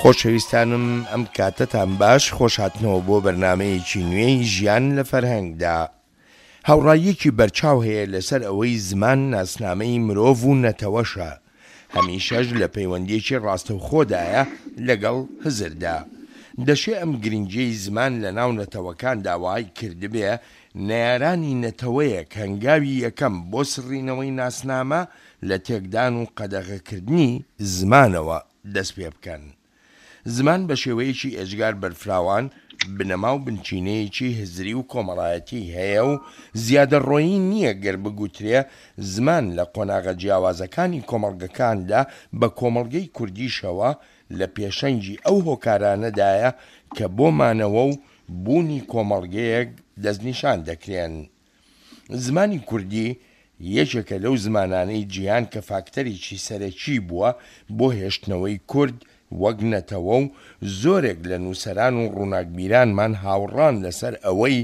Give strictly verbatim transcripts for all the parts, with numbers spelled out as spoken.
خۆشەویستانم ئەم کاتەتان باش، خۆشهاتنەوە بۆ بەرنامەیەکی نوێی ژیان لە فەرهەنگدا. هاوڕاییەکی بەرچاو هەیە لەسەر ئەوەی زمان ناسنامەی مرۆڤ و نەتەوەشە، هەمیشەش لە پەیوەندییەکی ڕاستەوخۆدایە لەگەڵ هزردا. دەشێ ئەم گرنگیەی زمان لە ناو نەتەوەکاندا وای کردبێ نەیارانی نەتەوەیەک هەنگاوی یەکەم بۆ سڕینەوەی ناسنامە لە تێکدان و قەدەغەکردنی زمانەوە دەست پێ بکەن. زمان بە شێوەیەکی ئێجگار بەرفراوان بنەما و بنچینەیەکی هزری و کۆمەڵایەتی هەیە و زیادەڕۆیی نییە گەر بگوترێ زمان لە قۆناغە جیاوازەکانی کۆمەڵگەکاندا بە کۆمەڵگەی کوردیشەوە لە پێشەنگی ئەو هۆکارانەدایە کە بۆ مانەوە و بوونی کۆمەڵگەیەک دەستنیشان دەکرێن. زمانی کوردی یەکێکە لەو زمانانەی جیهان کە فاکتەرێکی سەرەکی بووە بۆ هێشتنەوەی کورد وەک نەتەوە و زۆرێک لە نووسەران و ڕووناکبیرانمان هاوڕان لەسەر ئەوەی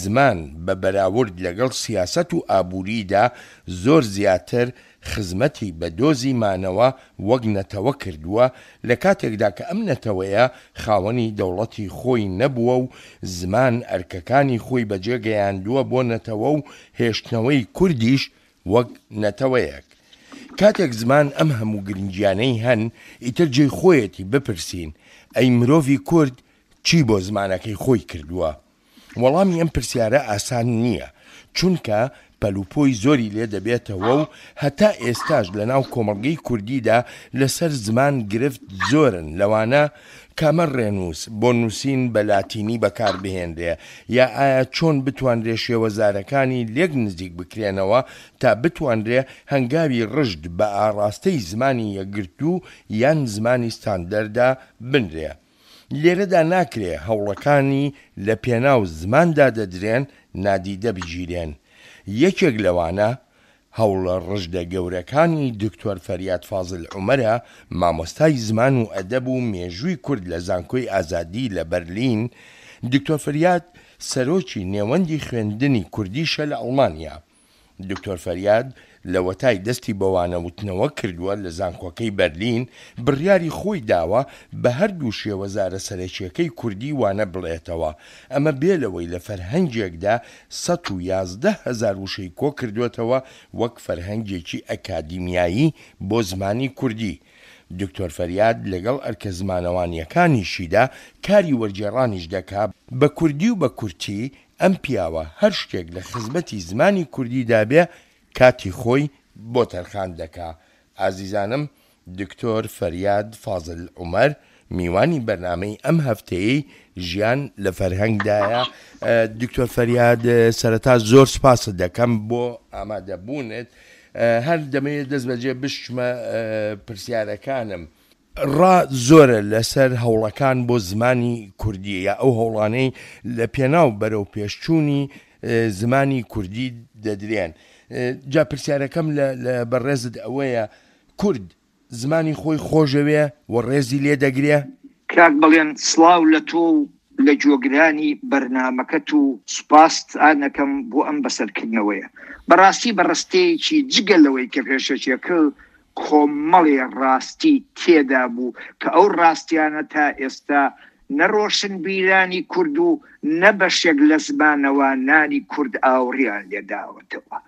زمان بە بەراورد لەگەڵ سیاسەت و ئابووریدا زۆر زیاتر خزمەتی بە دۆزی مانەوە وەک نەتەوە کردووە لە کاتێکدا کە ئەم نەتەوەیە خاوەنی دەوڵەتی خۆی نەبووە و زمان ئەرکەکانی خۆی بەجێ گەیاندووە بۆ نەتەوە و هێشتنەوەی کوردیش وەک نەتەوەیەک. کاتێک زمان ئەم هەموو گرنگیانەی هەن ئیتر جێی خۆیەتی بپرسین ئەی مرۆڤی کورد چی بۆ زمانەکەی خۆی کردووە؟ وەڵامی ئەم پرسیارە ئاسان نییە، چونکە پەلوپۆی زۆری لێ دەبێتەوە و هەتا ئێستاش لەناو کۆمەڵگەی کوردیدا لەسەر زمان گرفت زۆرن لەوانە کامە ڕێنووس بۆ نووسین بە لاتینی بەکار بهێنرێ یا ئایا چۆن بتوانرێ شێوەزارەکانی لێک نزیک بکرێنەوە تا بتوانرێ هەنگاوی ڕژد بە ئاڕاستەی زمانی یەکگرتوو یان زمانی ستاندەردا بنرێ. لێرەدا ناکرێ هەوڵەکانی لە پێناو زماندا دەدرێن نادیدە بگیرێن. یەکێک لەوانە هەوڵە ڕژدە گەورەکانی دکتۆر فەریاد فازل عومەرە، مامۆستای زمان و ئەدەب و مێژووی کورد لە زانکۆی ئازادی لە بەرلین، دکتۆر فەریاد سەرۆکی نێوەندی خوێندنی کوردیشە لە ئەڵمانیا. دکتۆر فەریاد لەوەتای دەستی بە وانەوتنەوە کردووە لە زانکۆکەی بەرلین، بڕیاری خۆی داوە بە هەردوو شێوەزارە سەرەکییەکەی کوردی وانە بڵێتەوە، ئەمە بێ لەوەی لە فەرهەنگێکدا سەد و یازدە هەزار وشەی کۆکردووەتەوە وەک فەرهەنگێکی ئەکادیمیایی بۆ زمانی کوردی. دکتۆر فەریاد لەگەڵ ئەرکە زمانەوانییەکانیشیدا کاری وەرگێڕانیش دەکا، بە کوردی و بە کورتی ئەم پیاوە هەر شتێک لە خزمەتی زمانی کوردیدا بێ کاتی خۆی بۆ تەرخان دەکا. ئازیزانم دکتۆر فەریاد فازل عومەر میوانی بەرنامەی ئەم هەفتەیەی ژیان لە فەرهەنگدایە. دکتۆر فەریاد سەرەتا زۆر سپاست دەکەم بۆ ئامادەبوونت. هەر دەمەوێت دەست بەجێ بشچمە پرسیارەکانم. ڕا زۆرە لەسەر هەوڵەکان بۆ زمانی کوردی یا ئەو هەوڵانەی لە پێناو بەرەو پێشچوونی زمانی کوردی دەدرێن. جا پرسیارەکەم لە بەڕێزت ئەوەیە کورد زمانی خۆی خۆشەوێ و ڕێزی لێ دەگرێ؟ کاک بەڵێن سڵاو لە تۆ و لە گوێگرانی بەرنامەکەت و سوپاستانەکەم بۆ ئەم بەسەرکردنەوەیە. بەڕاستی بەڕستەیەکی جگە لەوەی کە پێشەکیەکە کۆمەڵێ ڕاستی تێدا بوو کە ئەو ڕاستیانە تا ئێستا نە ڕۆشنبیرانی کورد و نە بەشێک لە زمانەوانانی کورد ئاوڕیان لێداوەتەوە.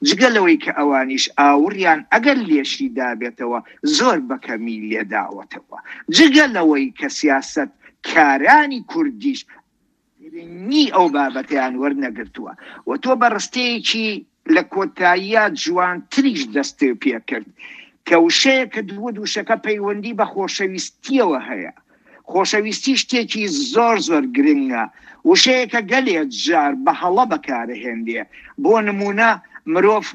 جگە لەوەی کە ئەوانیش ئاوڕیان ئەگەر لێشی دابێتەوە زۆر بەکەمی لێداوەتەوە. جگە لەوەی کە سیاسەت کارانی کوردیش گرنگی ئەو بابەتیان وەرنەگرتووە و تۆ بە ڕستەیەکی لە کۆتاییە جوانتریش دەستێ پێکرد کە وشەیەکە دووە وشەکە پەیوەندی بە خۆشەویستیەوە هەیە. خۆشەویستی شتێکی زۆر زۆر گرنگە، وشەیەکە گەلێ جار بە هەڵە بەکارهێنرێ. بۆ نمونە مرۆڤ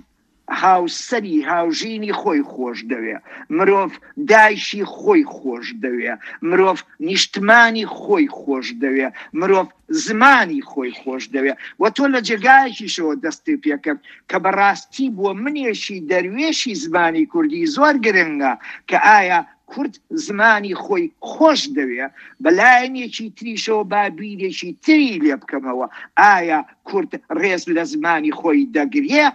هاوسەری هاوژینی خۆی خۆش دەوێ، مرۆڤ دایکی خۆی خۆش دەوێ، مرۆڤ نیشتمانی خۆی خۆش دەوێ، مرۆڤ زمانی خۆی خۆش دەوێ. و تۆ لە جێگایەکیشەوە دەستی پێکرد کە بەڕاستی بۆ منێکی دەروێشی زمانی کوردی زۆر گرنگە کە ئایا کورد زمانی خۆی خۆش دەوێ، بەلایەنێکی تریشەوە با بیرێکی تری لێ بکەمەوە، ئایا کورد ڕێز لە زمانی خۆی دەگرێ؟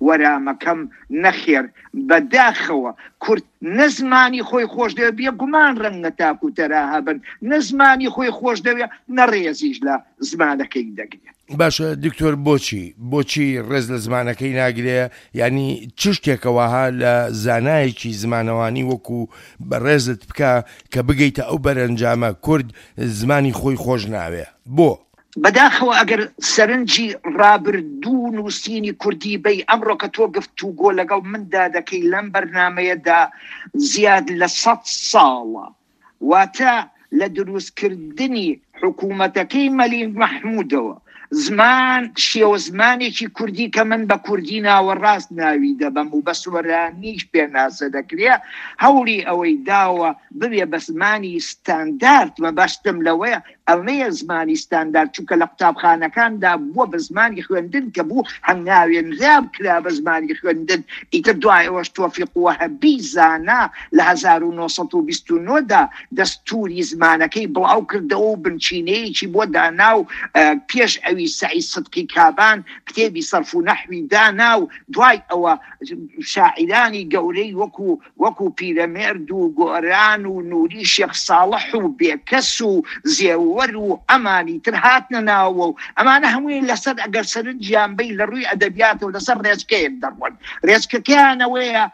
وەرامەکەم نەخێر، بەداخەوە کورد نە زمانی خۆی خۆش دەوێ، بێگومان ڕەنگە تاک و تەرا هەبن، نە زمانی خۆی خۆش دەوێ نە ڕێزیش لە زمانەکەی دەگرێت. باشە دکتۆر، بۆچی بۆچی ڕێز لە زمانەکەی ناگرێ؟ یعنی چ شتێکەوەها لە زانایەکی زمانەوانی وەکو بەڕێزت بکە کە بگەیتە ئەو بەرەنجامە کورد زمانی خۆی خۆش ناوێ؟ بۆ؟ بەداخەوە ئەگەر سەرنجی ڕابردوو نووسینی کوردی بەی، ئەمڕۆ کە تۆ گفتوگۆ لەگەڵ مندا دەکەی لەم بەرنمەیەدا زیاد لە سەد ساڵە، واتە لە دروستکردنی حکوومەتەکەی مەلیک مەحموودەوە زمان شێوە زمانێکی کوردی کە من بە کوردی ناوەڕاست ناوی دەبەم و بە سۆرانیش پێناسە دەکرێ، هەوڵی ئەوەی داوە ببێ بە زمانی ستاندارد. مەبەستم لەوەیە ئەمەیە زمانی ستاندارد، چونکە لە قوتابخانەکاندا بووە بە زمانی خوێندن کە بوو هەنگاوێنرا کرا بە زمانی خوێندن. ئیتر دوای ئەوەش تۆفیق وەهبی زانا لە هەزار و نۆسەد و بیست و نۆدا دەستوری زمانەکەی بڵاو کردەوە و بنچینەیەکی بۆ دانا و پێش ئەوی سەعید سدقی کابان کتێبی سەرف و نەحوی دانا و دوای ئەوە شاعیرانی گەورەی وەکو وەکو پیرەمێرد و گۆران و نوری شێخ ساڵح و بێکەس و زێوەر و ئەمانی تر هاتنە ناوە و ئەمانە هەمووی لەسەر ئەگەر سەرنجیان بەی لە ڕووی ئەدەبیاتەوە لەسەر ڕێچکەیەک دەڕۆن. ڕێچکەکەیانەوەیە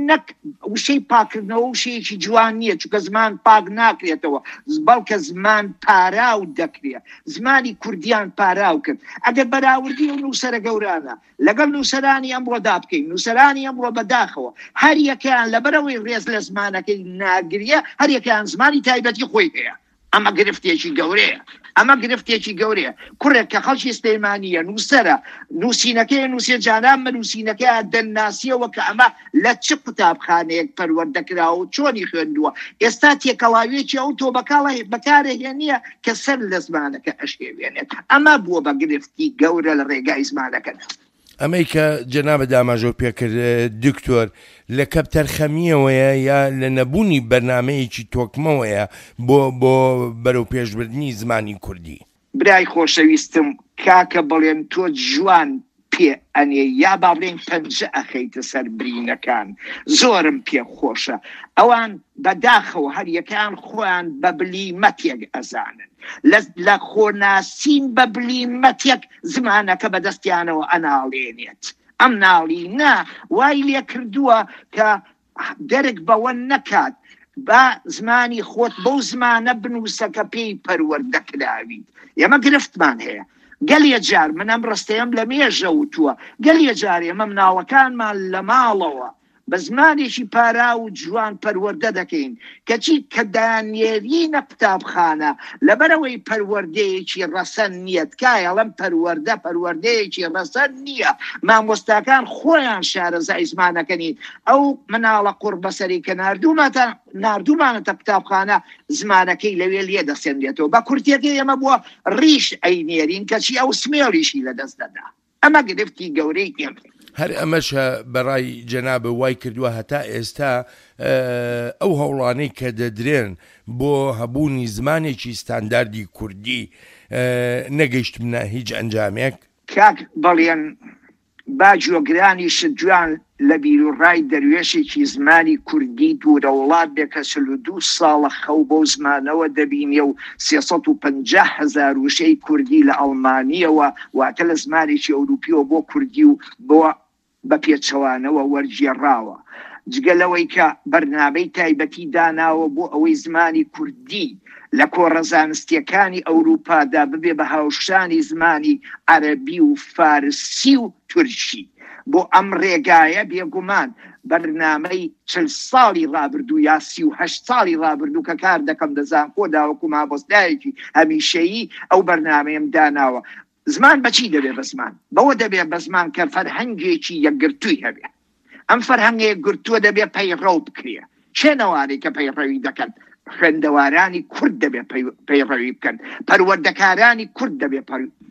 نەک وشەی پاکردنەوە وشەیەکی جوان نییە، چونکە زمان پاک ناکرێتەوە، بەڵکە زمان پاراو دەکرێت. زمانی کوردیان پاراو کرد. ئەگەر بەراوردی و نووسەرە گەورانە لەگەڵ نووسەرانی ئەمڕۆدا بکەین، نووسەرانی ئەمڕۆ بەداخەوە هەر یەکەیان لەبەرەوەی ڕێز لە زمانەکەی ناگریە، هەر یەکەیان زمانی تایبەتی خۆی هەیە. ئەمە گرفتێکی گەورەیە، ئەمە گرفتێکی گەورەیە. کوڕێک کە خەڵکی سلێمانییە، نووسەرە، نووسینەکەی نووسێ جانان بە نووسینەکەی دەناسیەوە کە ئەمە لە چ قوتابخانەیەک پەروەردەکراوە و چۆنی خوێندووە. ئێستا تێکەڵاویەکی ئەو تۆ بەکارهێنیە کە سەر لە زمانەکە ئەشێوێنێت. ئەمە بووە بە گرفتی گەورە لە ڕێگای زمانەکەدا. ئەمەی کە جەنابت ئاماژەو پێکرد دکتۆر، لە کەپتەرخەمیەوەیە یا لە نەبوونی بەرنمەیەکی تۆکمەوەیە بۆ بۆ بەرەو پێشبردنی زمانی کوردی؟ برای خۆشەویستم کاکە بڵێن تۆ جوان پێ ئەنێ یا با بڵێن پەنجە ئەخەیتە سەر برینەکان، زۆرم پێ خۆشە. ئەوان بەداخەوە هەر یەکەیان خۆیان بە بلیمەتێک ئەزانن، لە خۆناسین بە بلیمەتێک زمانەکە بەدەستیانەوە ئەناڵێنێت. ئەم ناڵینە وای لێ کردووە کە دەرک بەوە نەکات با زمانی خۆت بەو زمانە بنووسە کە پێی پەروەردە کراویت. ئێمە گرفتمان هەیە. گەلێ جار من ئەم ڕستەیەم لە مێژە وتووە، گەلێ جار ئێمە مناڵەکانمان لە ماڵەوە بە زمانێکی پارا و جوان پەروەردە دەکەین، کەچی کە دانێرینە قوتابخانە لەبەرەوەی پەروەردەیەکی ڕەسەن نییە. تکایەڵم پەروەردە پەروەردەیەکی ڕەسەن نییە. مامۆستاکان خۆیان شارەزای زمانەکە نین. ئەو مناڵە قوڕ بەسەری کە ناردوومانەتە قوتابخانە زمانەکەی لەوێ لێ دەسێنرێتەوە. بە کورتیەکەی ئێمە بووە ڕیش ئەینێرین، کەچی ئەو سمێڵیشی لەدەست دەدا. ئەمە گرفتی گەورەی ئێمە. هەر ئەمەشە بەڕای جەنابە وای کردووە هەتا ئێستا ئەو هەوڵانەی کە دەدرێن بۆ هەبوونی زمانێکی ستانداردی کوردی نەگەیشتمنە هیچ ئەنجامێک؟ کاک بەڵێن با جۆگرانیشت جوان لە بیرروڕای دەروێشێکی زمانی کوردی دوورە وڵات بێ کە چل و دوو ساڵە خەو بەو زمانەوە دەبینێ و سێسەد و پەنجا هەزار وشەی کوردی لە ئەڵمانیەوە، واتە لە زمانێکی ئەوروپیەوە بۆ کوردی و بۆ بە پێچەوانەوە وەرگێڕاوە. جگە لەوەی کە بەرنامەی تایبەتی داناوە بۆ ئەوەی زمانی کوردی لە کۆڕە زانستیەکانی ئەوروپادا ببێ بە هاوشانی زمانی عەرەبی و فارسی و تورکی. بۆ ئەم ڕێگایە بێگومان بەرنامەی چل ساڵی ڕابردوو یا سی و هەشت ساڵی ڕابردوو کە کار دەکەم دە زانکۆدا وەکو مامۆستایەکی هەمیشەیی ئەو بەرنامەیەم داناوە. زمان بەچی دەبێ بە زمان؟ بەوە دەبێ بە زمان کە فەرهەنگێکی یەکگرتووی هەبێ. ئەم فەرهەنگە یەکگرتووە دەبێ پەیڕەو بکرێ. چێنەوانەی کە پەیڕەوی دەکەن؟ خوێندەوارانی کورد دەبێ پەیڕەوی بکەن، پەروەردەکارانی کورد دەبێ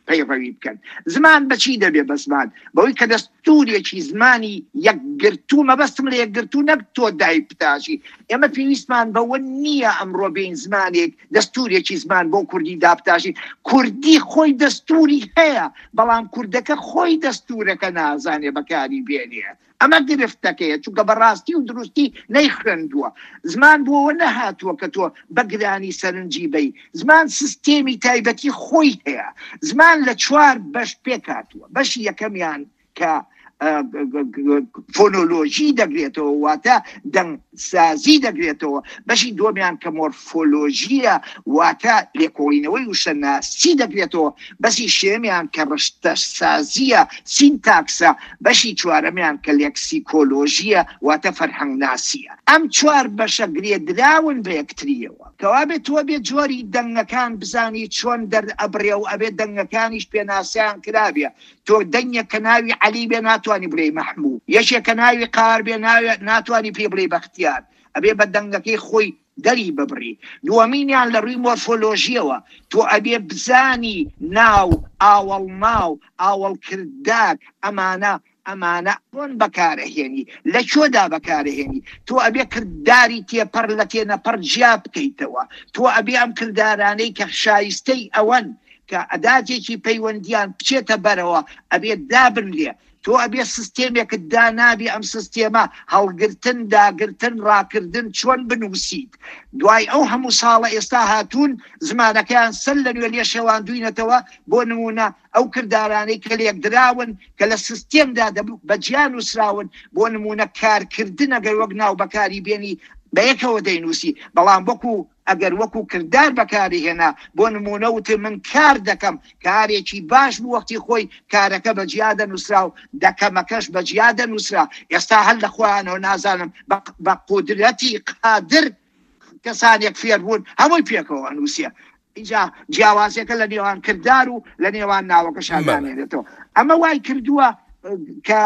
پەیڕەوی بکەن. زمان بەچی دەبێ بە زمان؟ بەوەی کە دەستورێکی زمانی یەکگرتوو، مەبەستم لە یەکگرتوو نەک تۆ دای بتاشی. ئێمە پێویستمان بەوە نییە ئەمڕۆ بین زمانێک دەستورێکی زمان بۆ کوردی دابتاشی. کوردی خۆی دەستوری هەیە، بەڵام کوردەکە خۆی دەستورەکە نازانێ بەکاری بێنێ. ئەمە گرفتەکەیە، چونکە بەڕاستی و دروستی نەیخوێندووە. زمان بۆەوە نەهاتووە کە تۆ بەگرانی سەرنجی بەی. زمان سیستێمی تایبەتی خۆی هەیە. زمان لە چوار بەش پێک هاتووە. بەشی یەکەمیان کە فۆنۆلۆژی دەگرێتەوە، واتە دەنگسازی دەگرێتەوە. بەشی دووەمیان کە مۆرفۆلۆژیە، واتە لێکۆڵینەوەی وشەناسی دەگرێتەوە. بەشی سێیەمیان کە ڕشتەسازیە، سینتاکسە. بەشی چوارەمیان کە لێکسیکۆلۆژیە، واتە فەرهەنگناسیە. ئەم چوار بەشە گرێدراون بە یەکتریەوە. کەوابێت تۆ بێ جۆری دەنگەکان بزانی چۆن دەرئەبڕێ و ئەبێ دەنگەکانیش پێناسیان کرابێ. تۆ دەنگێک کە ناوی عەلی بێ ناتوانی بڵێی مەحموو، یەکێک کە ناوی قار بێ ناتوانی پێ بڵێی بەختیار، ئەبێ بە دەنگەکەی خۆی دەری ببڕی. دووەمینیان لە ڕووی مۆرفۆلۆژیەوە تۆ ئەبێ بزانی ناو، ئاوەڵناو، ئاوەڵکردار، ئەمانە ئەمانە چۆن بەکارەهێنی، لە کوێدا بەکارەهێنی. تۆ ئەبێ کرداری تێپەڕ لە تێنەپەڕ جیا بکەیتەوە. تۆ ئەبێ ئەم کردارانەی کە شایستەی ئەوەن کە ئەداتێکی پەیوەندیان بچێتە بەرەوە ئەبێ دابنرێ. تۆ ئەبێ سیستێمێکت دانابی، ئەم سیستێمە هەڵگرتن، داگرتن، ڕاکردن چۆن بنووسیت. دوای ئەو هەموو ساڵە ئێستا هاتوون زمانەکەیان سەر لە نوێ لێ شێواندوینەتەوە. بۆ نمونە ئەو کردارانەی کە لێکدراون کە لە سیستێمدا بە جیا نووسراون، بۆ نمونە کارکردن ئەگەر وەک ناو بەکاری بێنی بەیەکەوە دەینووسی، بەڵام وەکو ئەگەر وەکو کردار بەکاری هێنا، بۆ نمونە وتێ من کار دەکەم، کارێکی باش بوو وەختی خۆی کارەکە بە جیا دەنووسرا و دەکەمەکەش بە جیا دەنووسرا. ئێستا هەر لە خۆیانەوە نازانم بە قودرەتی قادر کەسانێک فێر بوون هەمووی پێکەوە ئەنووسێ. اینجا جیاوازیەکە لە نێوان کردار و لە نێوان ناوەکەشان نامێنێتەوە. ئەمە وای کردووە کە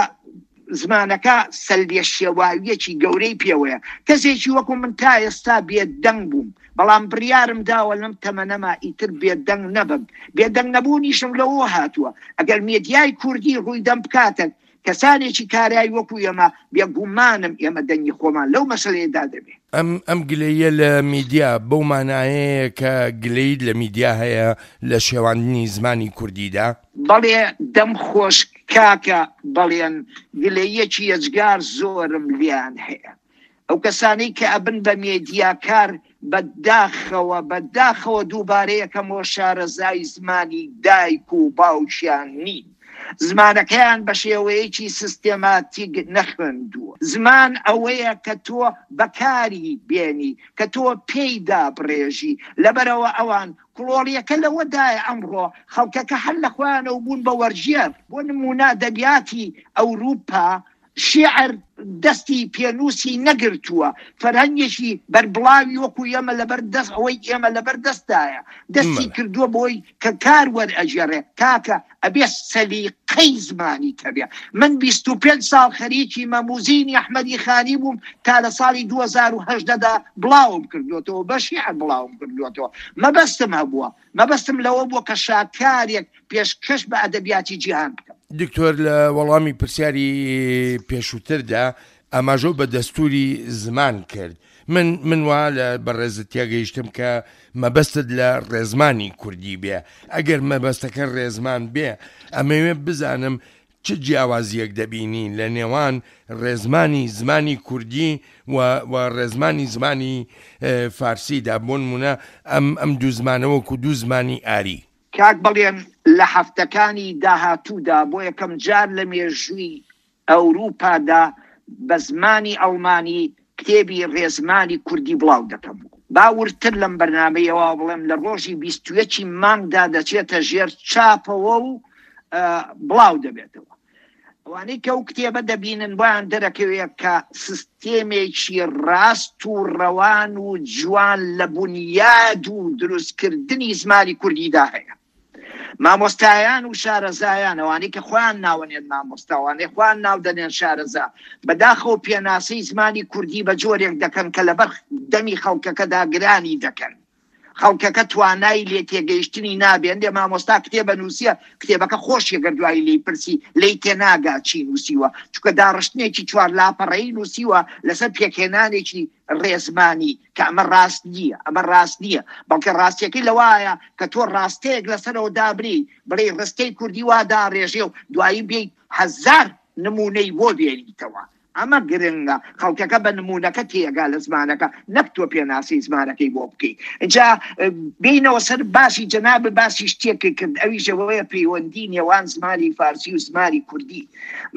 زمانەکە سەلبیە شێواویەکی گەورەی پێوەیە. کەسێکی وەکو من تا ئێستا بێدەنگ بووم، بەڵام بڕیارم داوە لەم تەمەنەما ئیتر بێدەنگ نەبم. بێدەنگ نەبوونیشم لەوە هاتووە ئەگەر مێدیای کوردی ڕووی دەم بکاتە کەسانێکی کارایی وەکو ئێمە، بێگومانم ئێمە دەنگی خۆمان لەو مەسەلەیەدا دەبێ. ئەم ئەم گلەیە لە میدیا بەو مانایەیە کە گلەیت لە میدیا هەیە لە شێواندنی زمانی کوردیدا؟ بەڵێ دەم خۆش کاکە، بەڵێن گلەیەکی یەجگار زۆرم لیان هەیە. ئەو کەسانەی کە ئەبن بە مێدیاکار بەداخەوە بەداخەوە دووبارە یەکەمەوە شارەزای زمانی دایک و باوکیان نین. زمانەکەیان بە شێوەیەکی سیستێماتیک نەخوێندووە. زمان ئەوەیە کە تۆ بەکاری بێنی، کە تۆ پێیدا بڕێژی. لەبەرەوە ئەوان کڵۆڵیەکە لەوەدایە ئەمڕۆ خەڵکەکە هەر لە خۆیانەوە بوون بە وەرژێر. بۆ نمونە ئەدەبیاتی ئەوروپا شعر دەستی پێنووسی نەگرتووە، فەرهەنگێکی بەربڵاوی وەکو ئێمە لەبەر دەست ئەوەی ئێمە لەبەر دەستدایە دەستی کردووە بۆی کە کار وەرئەگێڕێ. کاکە ئەبێ سەلیقەی زمانی تەبێ. من بیست و پێنج ساڵ خەریکی مەموزینی ئەحمەدی خانی بووم تا لە ساڵی دوو هەزار و هەژدەدا بڵاوم کردووەتەوە، بە شیعر بڵاوم کردووەتەوە. مەبەستم هەبووە، مەبەستم لەوە بووە کە شاکارێک پێشکەش بە ئەدەبیاتی جیهان بکەم. دکتۆر لە وەڵامی پرسیاری پێشووتردا ئاماژە بە دەستوری زمان کرد. من من وا لە بەڕێزت تێگەیشتم کە مەبەستت لە ڕێزمانی کوردی بێ. ئەگەر مەبەستەکە ڕێزمان بێ، ئەمەوێ بزانم چ جیاوازیەک دەبینی لە نێوان ڕێزمانی زمانی کوردی و و ڕێزمانی زمانی فارسیدا، بۆ نمونە ئەم ئەم دوو زمانە وەکو دوو زمانی ئاری. کاک بەڵێن لە هەفتەکانی داهاتوودا بۆ یەکەم جار لە مێژووی ئەوروپادا بە زمانی ئەڵمانی کتێبی ڕێزمانی کوردی بڵاو دەکەم. با وردتر لەم بەرنامەیەوە بڵێم لە ڕۆژی بیست و یەکی مانگدا دەچێتە ژێر چاپەوە و بڵاو دەبێتەوە. ئەوانەی کە ئەو کتێبە دەبینن بۆیان دەرەکەوێت کە سیستێمێکی ڕاست و ڕەوان و جوان لە بنیاد و دروستکردنی زمانی کوردیدا هەیە. مامۆستایان و شارەزایان، ئەوانەی کە خۆیان ناوەنێن مامۆستا، ئەوانەی خۆیان ناو دەنێن شارەزا، بەداخەوە پێناسەی زمانی کوردی بە جۆرێک دەکەن کە لەبەر دەمی خەڵکەکەدا گرانی دەکەن. خەڵکەکە توانای لێ تێگەیشتنی نابێن. دێ مامۆستا کتێبە نووسیە، کتێبەکە خۆشیە گەر دوایی لێی پرسی لێی تێناگا چی نووسیوە، چونکە داڕشتنێکی چوار لاپەڕەیی نووسیوە لەسەر پێکهێنانێکی ڕێزمانی کە ئەمە ڕاست نییە، ئەمە ڕاست نییە، بەڵکە ڕاستیەکەی لەوایە کە تۆ ڕاستەیەک لەسەرەوە دابنێی، بڵێ ڕستەی کوردی وا داڕێژێ و دوایی بێی هەزار نمونەی بۆ بێنیتەوە. ئەمە گرنگە، خەڵکەکە بە نمونەکە تێگا لە زمانەکە، نەک تۆ پێناسی زمانەکەی بۆ بکەیت. اینجا بینەوە سەر باسی جەناب، باسی شتێک کرد، ئەویش ئەوەیە پەیوەندی نێوان زمانی فارسی و زمانی کوردی.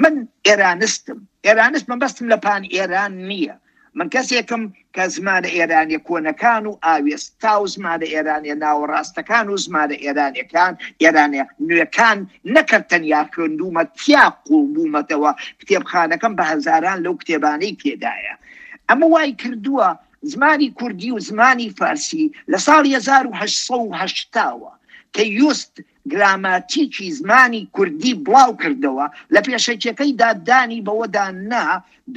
من ئێرانستم، ئێرانست مەبەستم لە پان ئێران نییە. من کەسێکم کە زمانە ئێرانیە کۆنەکان و ئاوێستا و زمانە ئێرانیە ناوەڕاستەکان و زمانە ئێرانیەکان ئێرانیە نوێکان نەکرد تەنیا خوێندوومە، تیا قوڵ بوومەتەوە، کتێبخانەکەم بە هەزاران لەو کتێبانەی تێدایە. ئەمە وای کردووە زمانی کوردی و زمانی فارسی لە ساڵی هەزار و هەشت سەد و هەشتاوە کە یوست گراماتیکی زمانی کوردی بڵاو کردەوە، لە پێشەکیەکەیدا دانی بەوەدا نا،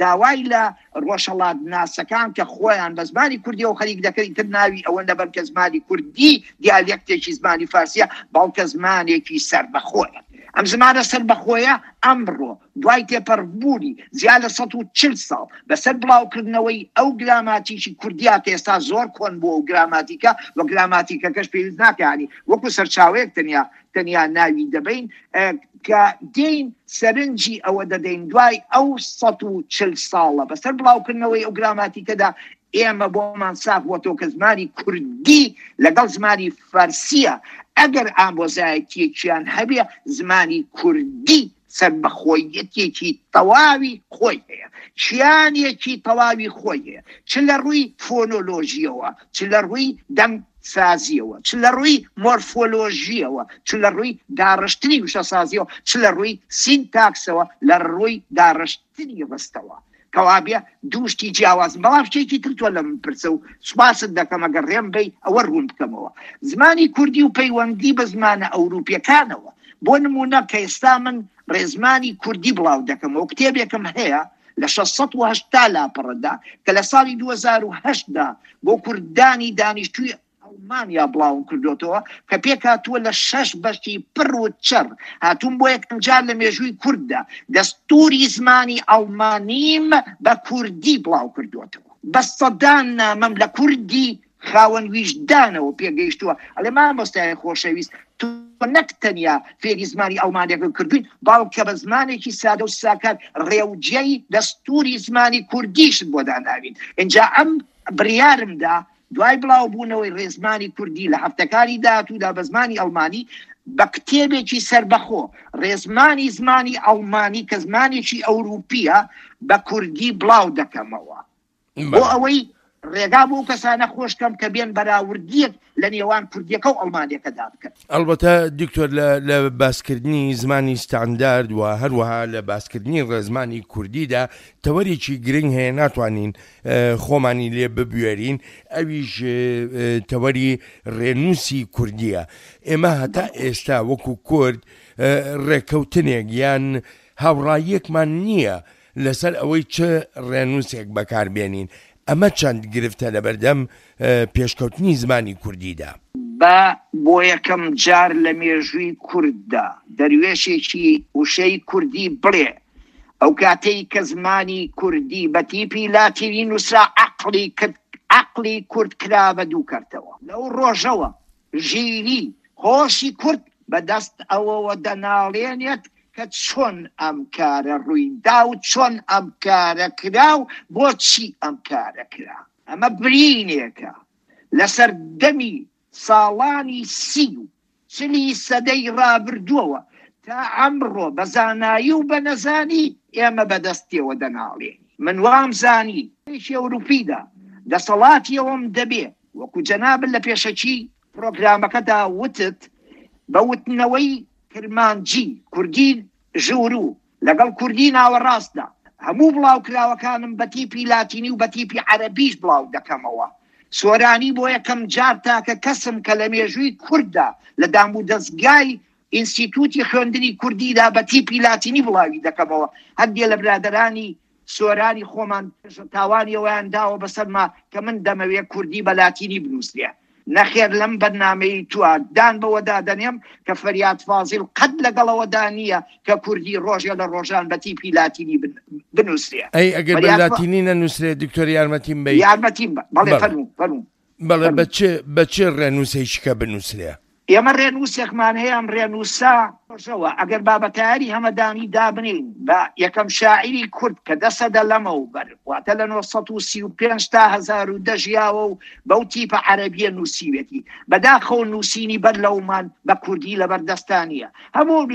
داوای لە ڕۆژهەڵات ناسەکان کە خۆیان بە زمانی کوردیەوە خەریک دەکەن، ئیتر ناوی ئەوە نەبەن کە زمانی کوردی دیالێکتێکی زمانی فارسیە، بەڵکە زمانێکی سەربەخۆیە. ئەم زمانە سەربەخۆیە ئەمڕۆ دوای تێپەڕبوونی زیاد لە سەد و چل ساڵ بەسەر بڵاوکردنەوەی ئەو گراماتیکی کوردیا کە ئێستا زۆر کۆن بووە و گراماتیکە و گراماتیکەکەش پێویست ناکانی وەکو سەرچاوەیەک تەنیا تەنیا ناوی دەبین، کە دێین سەرنجی ئەوە دەدەین دوای ئەو سەد و چل ساڵە بەسەر بڵاوکردنەوەی ئەو گراماتیکەدا ئێمە بۆمان ساخ بۆتەوە کە زمانی کوردی لەگەڵ زمانی فارسیە ئەگەر ئامۆزایەتیەکیان هەبێ، زمانی کوردی سەربەخۆیەتێکی تەواوی خۆی هەیە، چیانێکی تەواوی خۆی هەیە، چ لە ڕووی فۆنۆلۆژیەوە، چ لە ڕووی دەنگسازیەوە، چ لە ڕووی مۆرفۆلۆژیەوە، چ لە ڕووی داڕشتنی وشەسازیەوە، چ لە ڕووی سینتاکسەوە، لە ڕووی داڕشتنی ڕستەوە. کەوابێ دووشتی جیاوازن. بەڵام شتێکی تر تۆ لە من پرسە و سوپاست دەکەم ئەگەر ڕێم بەی ئەوە ڕوون بکەمەوە. زمانی کوردی و پەیوەندی بە زمانە ئەوروپیەکانەوە، بۆ نمونە کە ئێستا من ڕێزمانی کوردی بڵاو دەکەمەوە، کتێبێکم هەیە لە شەش سەد و هەشتا لاپەڕەدا کە لە ساڵی دوو هەزار و هەشتدا بۆ کوردانی دانیشتووی ئەڵمانیا بڵاوم کردوتەوە کە پێکهاتووە لە شەش بەشی پڕ و چڕ. هاتووم بۆ یەکەم جار لە مێژووی کورددا دەستوری زمانی ئەڵمانیم بە کوردی بڵاو کردوتەوە. بە سەدان نامەم لە کوردی خاوەن ویژدانەوە پێگەیشتووە. ئەڵێ مامۆستای خۆشەویست، تۆ نەک تەنیا فێری زمانی ئەڵمانیەکە کردوین، بەڵکە بە زمانێکی سادە و ساکار ڕێوجێی دەستوری زمانی کوردیشت بۆ داناوین. اینجا ئەم بڕیارمدا دوای بڵاوبوونەوەی ڕێزمانی کوردی لە هەفتەکانی داهاتوودا بە زمانی ئەڵمانی بە کتێبێکی سەربەخۆ ڕێزمانی زمانی ئەڵمانی کە زمانێکی ئەوروپیە بە کوردی بڵاو دەکەمەوە، بۆ ئەوەی ڕێگا بۆ کەسانە خۆشکەم کە بێن بەراوردیەک لە نێوان کوردیەکە و ئەڵمانیەکەدا بکەن. ئەلبەتە دکتۆر لە باسکردنی زمانی ستاندارد و هەروەها لە باسکردنی ڕێزمانی کوردیدا تەوەرێکی گرنگ هەیە ناتوانین خۆمانی لێ ببوێرین، ئەویش تەوەری ڕێنووسی کوردیە. ئێمە هەتا ئێستا وەکو کورد ڕێکەوتنێک یان هاوڕاییەکمان نییە لەسەر ئەوەی چ ڕێنووسێک بەکاربێنین. ئەمە چەند گرفتە لەبەردەم پێشکەوتنی زمانی کوردیدا؟ با بۆ یەکەم جار لە مێژووی کورددا دەروێشێکی وشەی کوردی بڵێ ئەو کاتەی کە زمانی کوردی بە تیپی لاتینی نووسرا عەقڵی کرد، عەقڵی کورد کرا بە دوو کەرتەوە. لەو ڕۆژەوە ژیری هۆشی کورد بەدەست ئەوەوە دەناڵێنێت کە چۆن ئەم کارە ڕوویدا و چۆن ئەم کارە کرا و بۆچی ئەم کارە کرا. ئەمە برینێکە لەسەر دەمی ساڵانی سی و چلی سەدەی ڕابردووەوە تا ئەمڕۆ بە زانایی و بە نەزانی ئێمە بەدەستیەوە دەناڵێن. من وام زانی یەکی ئەوروپیدا دەسەڵاتیەوەم دەبێ وەکو جەنابت لە پێشەکی پرۆگرامەکەدا وتت بە وتنەوەی کرمانجی کوردی ژوورو لەگەڵ کوردی ناوەڕاستدا هەموو بڵاوکراوەکانم بە تیپی لاتینی و بە تیپی عەرەبیش بڵاو دەکەمەوە. سۆرانی بۆ یەکەم جار تاکە کەسم کە لە مێژووی کورددا لە دام و دەستگای ئینستیتوتی خوێندنی کوردیدا بە تیپی لاتینی بڵاوی دەکەمەوە. هەندێ لە برادەرانی سۆرانی خۆمان تاوانیەوەیان داوە بەسەرما کە من دەمەوێت کوردی بە لاتینی بنووسرێ. نەخێر لەم بەرنامەی تووە دان بەوەدا دەنێم کە فەریاد فازیل قەت لەگەڵەوەدا نییە کە کوردی ڕۆژێ لە ڕۆژان بە تیپی لاتینی بنووسرێ. ئەی ئەگەر بە لاتینی نەنووسرێ دکتۆر یارمەتیم بەی؟ یارمەتیم بە، بەڵێ فەرموو فەرموو. بەڵێ بە چ بە چ ڕێنووسێکیکە بنووسرێ؟ ئێمە ڕێنووسێکمان هەیە، ئەم ڕێنووسە ڕۆژەوە ئەگەر بابەتاری هەمەدانی دابنین بە یەکەم شاعیری کورد کە دە سەدە لەمەوبەر، واتە لە نۆ سەد و سی و پێنج تا هەزار و دە ژیاوە و بەو تیپە عەرەبیە نووسیوێتی. بەداخەوە نووسینی بەر لەومان بە کوردی لەبەر دەستانیە. هەموو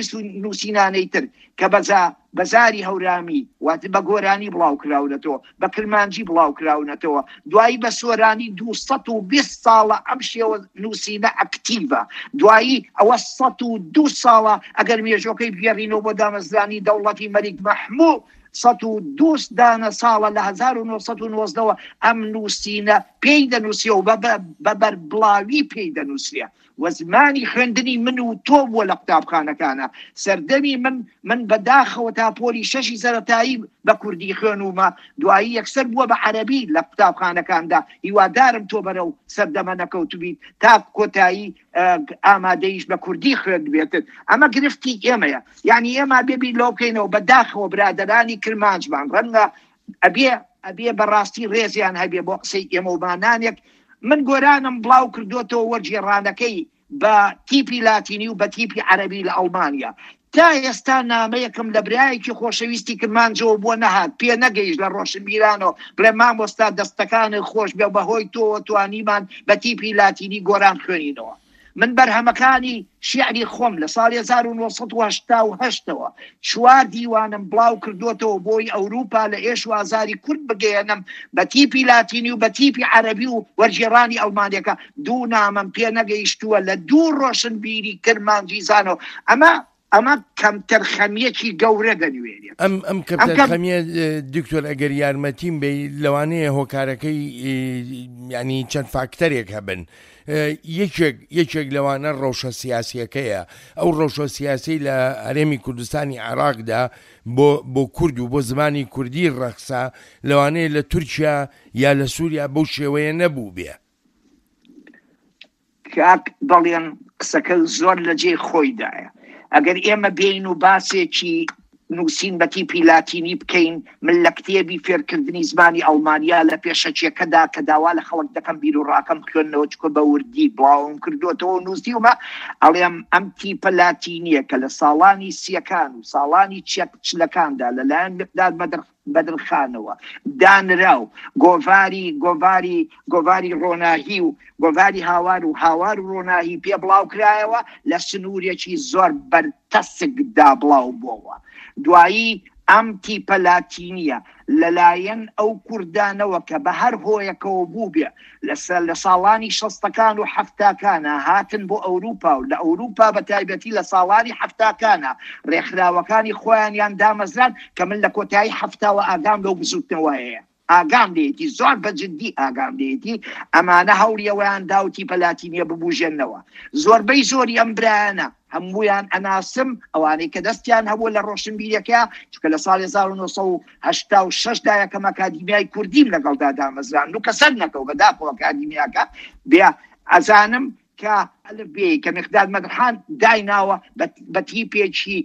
نووسینانەی تر کە بەزا بەزاری هەورامی واتە بە گۆرانی بڵاو کراونەتەوە، بە کرمانجی بڵاو کراونەتەوە، دوایی بە سۆرانی دوو سەد و بیست ساڵە ئەم شێوە نووسینە ئەکتیڤە. دوایی ئەوە سەد و دوو ساڵە ئەگەر مێژۆکەی بگێڕینەوە بۆ دامەزرانی دەوڵەتی مەلیک مەحموو، سەد و دوو دانە ساڵە لە هەزار و نۆ سەد و نۆزدەوە ئەم نووسینە پێی دەنووسێ و بە بەربڵاوی پێی دەنووسرێ. و زمانی خوێندنی من و تۆ بووە لە قوتابخانەکانە. سەردەمی من من بەداخەوە تا پۆلی شەشی سەرەتایی بە کوردی خوێنومە، دوایی یەکسەر بووە بە عەرەبی لە قوتابخانەکاندا. هیوادارم تۆ بەرەو سەردەمە نەکەوتبیت تا کۆتایی ئامادەیش بە کوردی خوێندبێتت. ئەمە گرفتی ئێمەیە. یعنی ئێمە بێبی لەو بکەینەوە. بەداخەوە برادەرانی کرمانجمان ڕەنگە ئەبێ ئەبێ بەڕاستی ڕێزیان هەبێ بۆ قسەی ئێمە و مانانێک. من گۆرانم بڵاو کردوتەوە وەرگێڕانەکەی بە تیپی لاتینی و بە تیپی عەرەبی لە ئەڵمانیا. تا ئێستا نامەیەکم لە برایەکی خۆشەویستی کرمانجەوە بۆ نەهات، پێ نەگەیشت لە ڕۆشنبیرانەوە بڵێ مامۆستا دەستەکانت خۆش بێ، بەهۆی تۆوە توانیمان بە تیپی لاتینی گۆران خوێنینەوە. من بەرهەمەکانی شیعری خۆم لە ساڵی هەزار و نۆ سەد و هەشتا و هەشتەوە چوار دیوانم بڵاو کردوتەوە بۆی ئەوروپا لە ئێش و ئازاری کورد بگەیەنم بە تیپی لاتینی و بە تیپی عەرەبی و وەرگێڕانی ئەڵمانیەکە. دوو نامەم پێ نەگەیشتووە لە دوو ڕۆشنبیری کرمانجی زانەوە. ئەمە ئەمە کەمتەرخەمیەکی گەورە دەنوێنێت. ئەم ئەم کەمتەرخەمیە دکتۆر ئەگەر یارمەتیم بێ لەوانەیە هۆکارەکەی ینی چەند فاکتەرێک هەبن. یەکێک یەکێک لەوانە ڕەوشە سیاسیەکەیە. ئەو ڕەوشە سیاسی لە هەرێمی کوردستانی عێراقدا بۆ بۆ کورد و بۆ زمانی کوردی ڕەخسا لەوانەیە لە تورکیا یا لە سووریا بەو شێوەیە نەبوو بێ. کاک بەڵێن قسەکە زۆر لە جێی خۆیدایە. ئەگەر ئێمە بین و باسێکی نووسین بە تیپی لاتینی بکەین، من لە کتێبی فێرکردنی زمانی ئەڵمانیا لە پێشەکیەکەدا کە داوا لە خەڵک دەکەم بیر و ڕاکەم خوێندنەوە چکە بە وردی بڵاوم کردوێتەوە نووسیومە، ئەڵێم ئەم تیپە لاتینیە کە لە ساڵانی سیەکان و ساڵانی چلەکاندا لەلایەن مقداد بەدرخانەوە دانرا و گۆڤاری گۆڤاری گۆڤاری ڕۆناهی و گۆڤاری هاوار و هاوار و ڕۆناهی پێ بڵاو کرایەوە لە سنوورێکی زۆر بەرتەسکدا بڵاو بووەوە. دوایی ئەم تیپە لاتینیە لەلایەن ئەو کوردانەوە کە بە هەر هۆیەکەوە بوو بێ لە ساڵانی شەستەکان و حەفتاکانە هاتن بۆ ئەوروپا و لە ئەوروپا بە تایبەتی لە ساڵانی حەفتاکانە ڕێکخراوەکانی خۆیانیان دامەزران کە من لە کۆتایی حەفتاوە ئاگام لەو بزوتنەوەیە، ئاگام لێتی زۆر بە جدی ئاگام لێتی. ئەمانە هەوڵیەوەیان دا و تیپە لاتینیە ببوژێنەوە. زۆربەی زۆری ئەم برایانە هەموویان ئەناسم، ئەوانەی کە دەستیان هەبوو لە ڕۆشنبیرەکە، چونکە لە ساڵی هەزار و نۆ سەد و هەشتا و شەش دا یەکەم ئەکادیمیای کوردیم لەگەڵدا دامەزران و کە سەر نەکەوت بەداخەوە ئەکادیمیاکە بێ ئەزانم کە ئەلف بێ کە مقداد مەدرحان دایناوە بە تیپێکی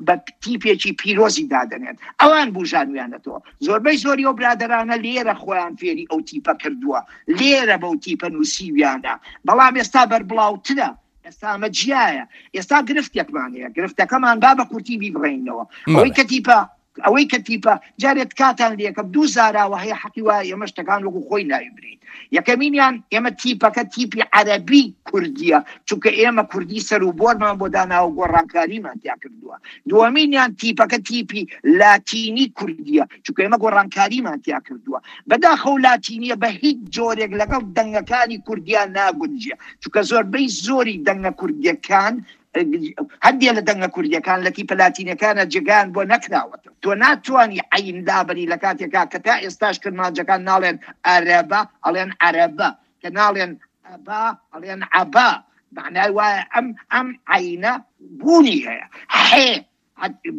بە تیپێکی پیرۆزی دادەنێن. ئەوان بژانویانەتەوە. زۆربەی زۆری ئەو برادەرانە لێرە خۆیان فێری ئەو تیپە کردووە، لێرە بەو تیپە نووسیویانە، بەڵام ئێستا بەربڵاوترە. ئێستا ئەمە جیایە. ئێستا گرفتێکمان هەیە، گرفتەکەمان با بە کورتی بیبڕێنەوە. ئەوەی کە تیپە ئەوەی کە تیپە جارێت کاتان لێکەم دوو زاراوە هەیە حەقی وایە ئێمە شتەکان وەکو خۆی ناوی برین. یەکەمینیان ئێمە تیپەکە تیپی عەرەبی کوردیە، چونکە ئێمە کوردی سەر و بۆرمان بۆ داناوە گۆڕانکاریمان تیا کردووە. دووەمینیان تیپەکە تیپی لاتینی کوردیە، چونکە ئێمە گۆڕانکاریمان تیا کردووە. بەداخەوە لاتینیە بە هیچ جۆرێک لەگەڵ دەنگەکانی کوردیان ناگونجێ، چونکە زۆربەی زۆری دەنگە کوردیەکان هەندێک لە دەنگە کوردیەکان لە تیپە لاتینەکانە جێگایان بۆ نەکراوەتەوە. تۆ ناتوانی عەین لابەری لە کاتێکا کە تا ئێستاش کرمانجەکان ناڵێن عەرەبە ئەڵێن عەرەبە، کە ناڵێن ئەبا ئەڵێن عەبا. معنای وایە ئەم ئەم عەینە بوونی هەیە. حێ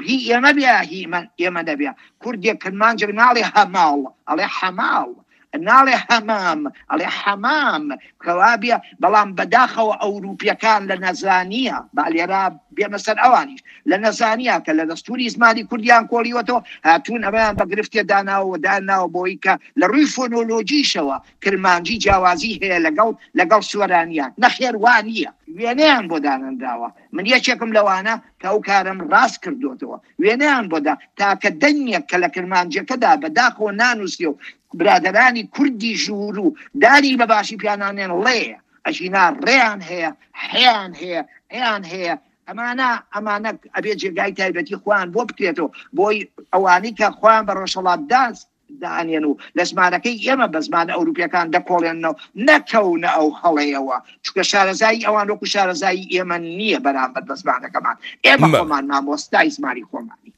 هی ئێمە بێ هی ئێمە نەبێ. کوردێک کرمانجێک ناڵێ هەماڵ ئەڵێ حەماڵ. ناڵێ هەمام، ئەڵێ حەمام. کەوابێ بەڵام بەداخەوە ئەوروپیەکان لە نەزانیە، با لێرە بێمە سەر ئەوانیش، لە نەزانیە کە لە دەستوری زمانی کوردیان کۆڵیوەتەوە هاتوون ئەمەیان بە گرفتێ داناوە داناوە بۆی کە لە ڕووی فۆنۆلۆژیشەوە کرمانجی جیاوازی هەیە لەگەڵ لەگەڵ سۆرانیان. نەخێر وا نییە، وێنەیان بۆ دانەنراوە. من یەکێکم لەوانە کە ئەو کارم ڕاست کردوتەوە، وێنەیان بۆدا تاکە دەنگێک کە لە کرمانجەکەدا بەداخەوە نانووسێ و برادرانی کوردی ژوور و داری بە باشی پیانانێن ڵێ، ئەژینا ڕێیان هەیە، حیان هەیە، ئەیان هەیە. ئەمانە ئەمانە ئەبێ جێگای تایبەتی خۆیان بۆ بکرێتەوە بۆی ئەوانەی کە خۆیان بە ڕۆژهەڵاتداز دانێن و لە زمانەکەی ئێمە بە زمانە ئەوروپیەکان دەکۆڵێنەوە نەکەونە ئەو هەڵەیەوە، چونکە شارەزایی ئەوان وەکو شارەزایی ئێمە نییە بەرامبەر بە زمانەکەمان. ئێمە خۆمان مامۆستای زمانی خۆمانی.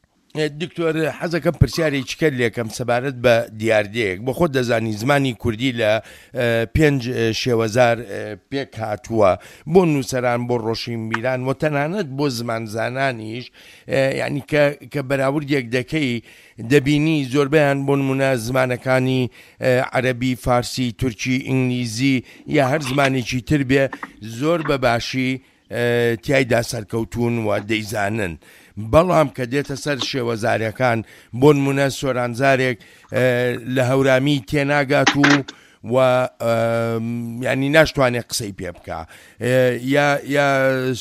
دکتۆر حەزەکەم پرسیارێکی کرد لێکەم سەبارەت بە دیاردەیەک. بۆ خۆت دەزانی زمانی کوردی لە پێنج شێوەزار پێک هاتووە، بۆ نووسەران، بۆ ڕۆشنبیران و تەنانەت بۆ زمانزانانیش، یعنی کە بەراوردێک دەکەی دەبینی زۆربەیان بۆ نمونە زمانەکانی عەرەبی، فارسی، تورکی، ئینگلیزی یا هەر زمانێکی تر بێ زۆر بە باشی تیایدا سەرکەوتون و دەیزانن. بەڵام کە دێتە سەر شێوەزارەکان، بۆ نمونە سۆرانزارێک لە هەورامی تێناگات و و ینی ناشتوانێت قسەی پێ بکە، یا یا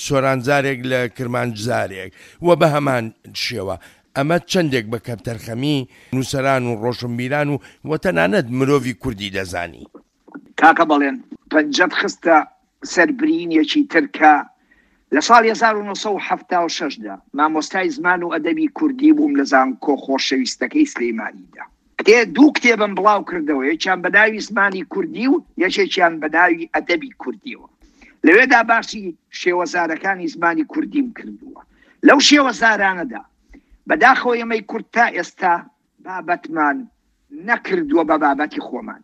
سۆرانزارێک لە کرمانجزارێک و بە هەمان شێوە. ئەمە چەندێک بە کەمتەرخەمی نووسەران و ڕۆشنبیران و وتەنانەت مرۆڤی کوردی دەزانی. کاکە بەڵێن پەنجەت خستە سەربرینێکی ترکە. لە ساڵی هەزار و نۆ سەد و حەفتا و شەشدا مامۆستای زمان و ئەدەبی کوردی بووم لە زانکۆ خۆشەویستەکەی سلەیمانیدا. دوو کتێبم بڵاو کردەوە، یەکیان بە ناوی زمانی کوردی و یەکێکیان بە ناوی ئەدەبی کوردیەوە. لەوێدا باسی شێوەزارەکانی زمانی کوردیم کردووە. لەو شێوەزارانەدا بەداخەوە ئێمەی کورد تا ئێستا بابەتمان نەکردووە بە بابەتی خۆمان.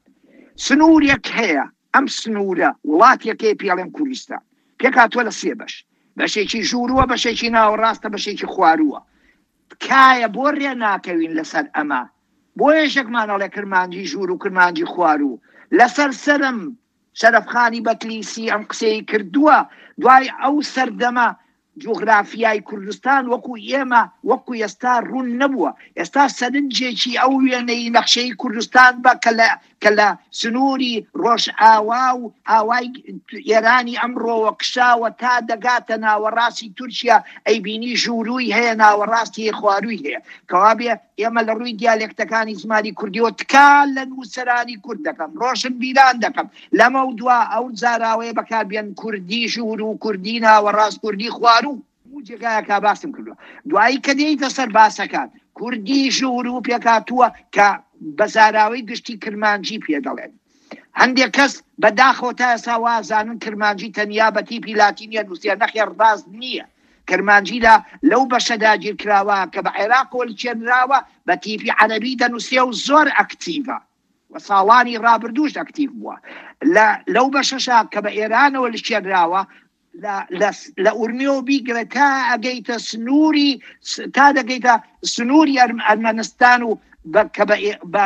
سنوورێک هەیە، ئەم سنوورە وڵاتێکەیە پێڵێن کوردستان، پێکهاتووە لە سێ بەش، بەشێکی ژوورووە، بەشێکی ناوەڕاستە، بەشێکی خوارووە. تکایە بۆ ڕێ ناکەوین لەسەر ئەمە، بۆ یەکێکمان ئەڵێ کرمانجی ژوور و کرمانجی خواروو. لەسەر سەرم شەرەفخانی بەتلیسی ئەم قسەی کردووە. دوای ئەو سەردەمە جوغرافیای کوردستان وەکو ئێمە وەکو ئێستا ڕوون نەبووە. ئێستا سەرنجێکی ئەو وێنەی نەخشەی کوردستان بە کە لە سنووری ڕۆژئاوا و ئاوای ئێرانی ئەمڕۆوە کشاوە تا دەگاتە ناوەڕاستی تورکیا، ئەیبینی ژوورووی هەیە، ناوەڕاستی خوارووی هەیە. کەوابێ ئێمە لە ڕووی دیالێکتەکانی زمانی کوردیەوە تکا لە نووسەرانی کورد دەکەم، ڕۆشنبیران دەکەم، لەمە و دوا ئەو زاراوەیە بەکاربێن کوردی ژوور و کوردی ناوەڕاست، کوردی خواروو. جێگایەکە باسم کردووە. دوایی کە دێیتە سەر باسەکان، کوردی ژوور و پێکاتووە کە بە زاراوەی گشتی کرمانجی پێ دەڵێن. هەندێک کەس بەداخەوە تا ئێستا وازانن کرمانجی تەنیا بە تیپی لاتینیە نووسیە. نەخێر ڕاست نییە. کرمانجی لە لەو بەشە داگیرکراوە کە بە عێراقەوە لچێنراوە بە تیپی عەرەبی دەنووسێ و زۆر ئەکتیڤە و ساڵانی ڕابردووش ئەکتیڤ بووە. لەو بەشەشا کە بە ئێرانەوە لچێنراوە لە ئورمیەوە بیگرە تا ئەگەیتە سنووری تا دەگەیتە سنووری ئەرمەنستان و کە بە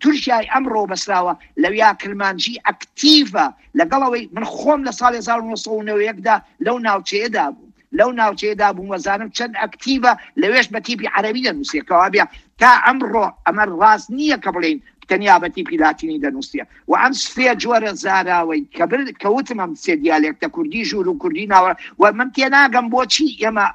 تورکیای ئەمڕۆ بەسراوە، لەویا کرمانجی ئەکتیڤە. لەگەڵەوەی من خۆم لە ساڵی هەزار و نۆ سەد و نەوەد لەو ناوچەیەدا بوو، لەو ناوچەیەدا بووم وەزانم چەند ئەکتیڤە، لەوێش بە تیپی عەرەبی دەنووسێ. کەوابێ تا ئەمڕۆ ئەمە ڕاست نییە کە بڵێین تەنیا بە تیپی لاتینی دەنووسێ. و ئەم سێ جۆرە زاراوەی کە وتم ئەم سێ دیالێکتە کوردی ژوور و کوردی ناوە، و من تێناگەم بۆچی ئێمە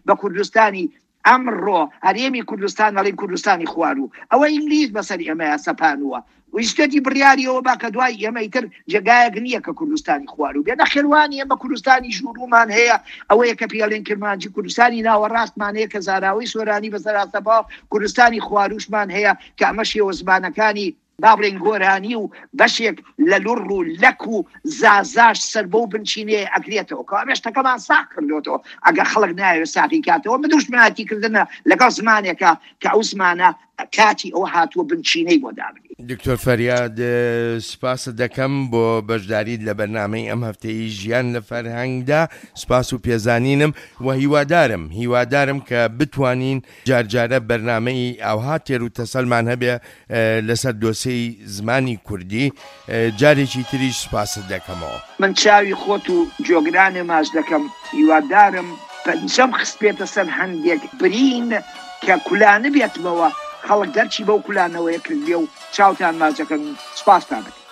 بە کوردستانی ئەمڕۆ هەرێمی کوردستان ئەڵێن کوردستانی خواروو. ئەوە ئینگلیز بەسەر ئێمەیە سەپانووە. ویستێتی بڕیاریەوە با کە دوای ئێمە ئیتر جێگایەک نییە کە کوردستانی خواروو بێ. نەخێروانی ئێمە کوردستانی ژوورومان هەیە، ئەوەیە کە پێڵێن کرمانجی، کوردستانی ناوەڕاستمان هەیە کە زاراوەی سۆرانی بەسەراستەپا، کوردستانی خوارووشمان هەیە کە ئەمە شێوە زمانەکانی با بڵێن گۆرانی و بەشێک لە لوڕ و لەک و زازاش سەر بەو بنچینەیە ئەگرێتەوە. کە ئەمە شتەکەمان ساغ کردوێتەوە. ئەگەر خەڵک ناوێت ساغی کاتەوە، بە دوژمنایەتیکردنە لەگەڵ زمانێکە کە ئەو زمانە کاتی ئەوە هاتووە بنچینەی بۆ دابنێ. دکتۆر فەریاد سپاست دەکەم بۆ بەشداریت لە بەرنامەی ئەم هەفتەی ژیان لە فەرهەنگدا، سپاس و پێزانینم و هیوادارم هیوادارم کە بتوانین جارجارە بەرنامەی ئاوها تێر و تەسەلمان هەبێ لەسەر دۆسێی زمانی کوردی. جارێکی تریش سپاست دەکەمەوە. من چاوی خۆت و جۆگرانێ ماچ دەکەم، هیوادارم پەنجەم خستبێتە سەر هەندێک برین کە کولانبێتمەوە، خەڵک دەرچی بەو کولانەوەیە کردبێ و چاوتان ماچ دەکەم و سپاستان دەکەم.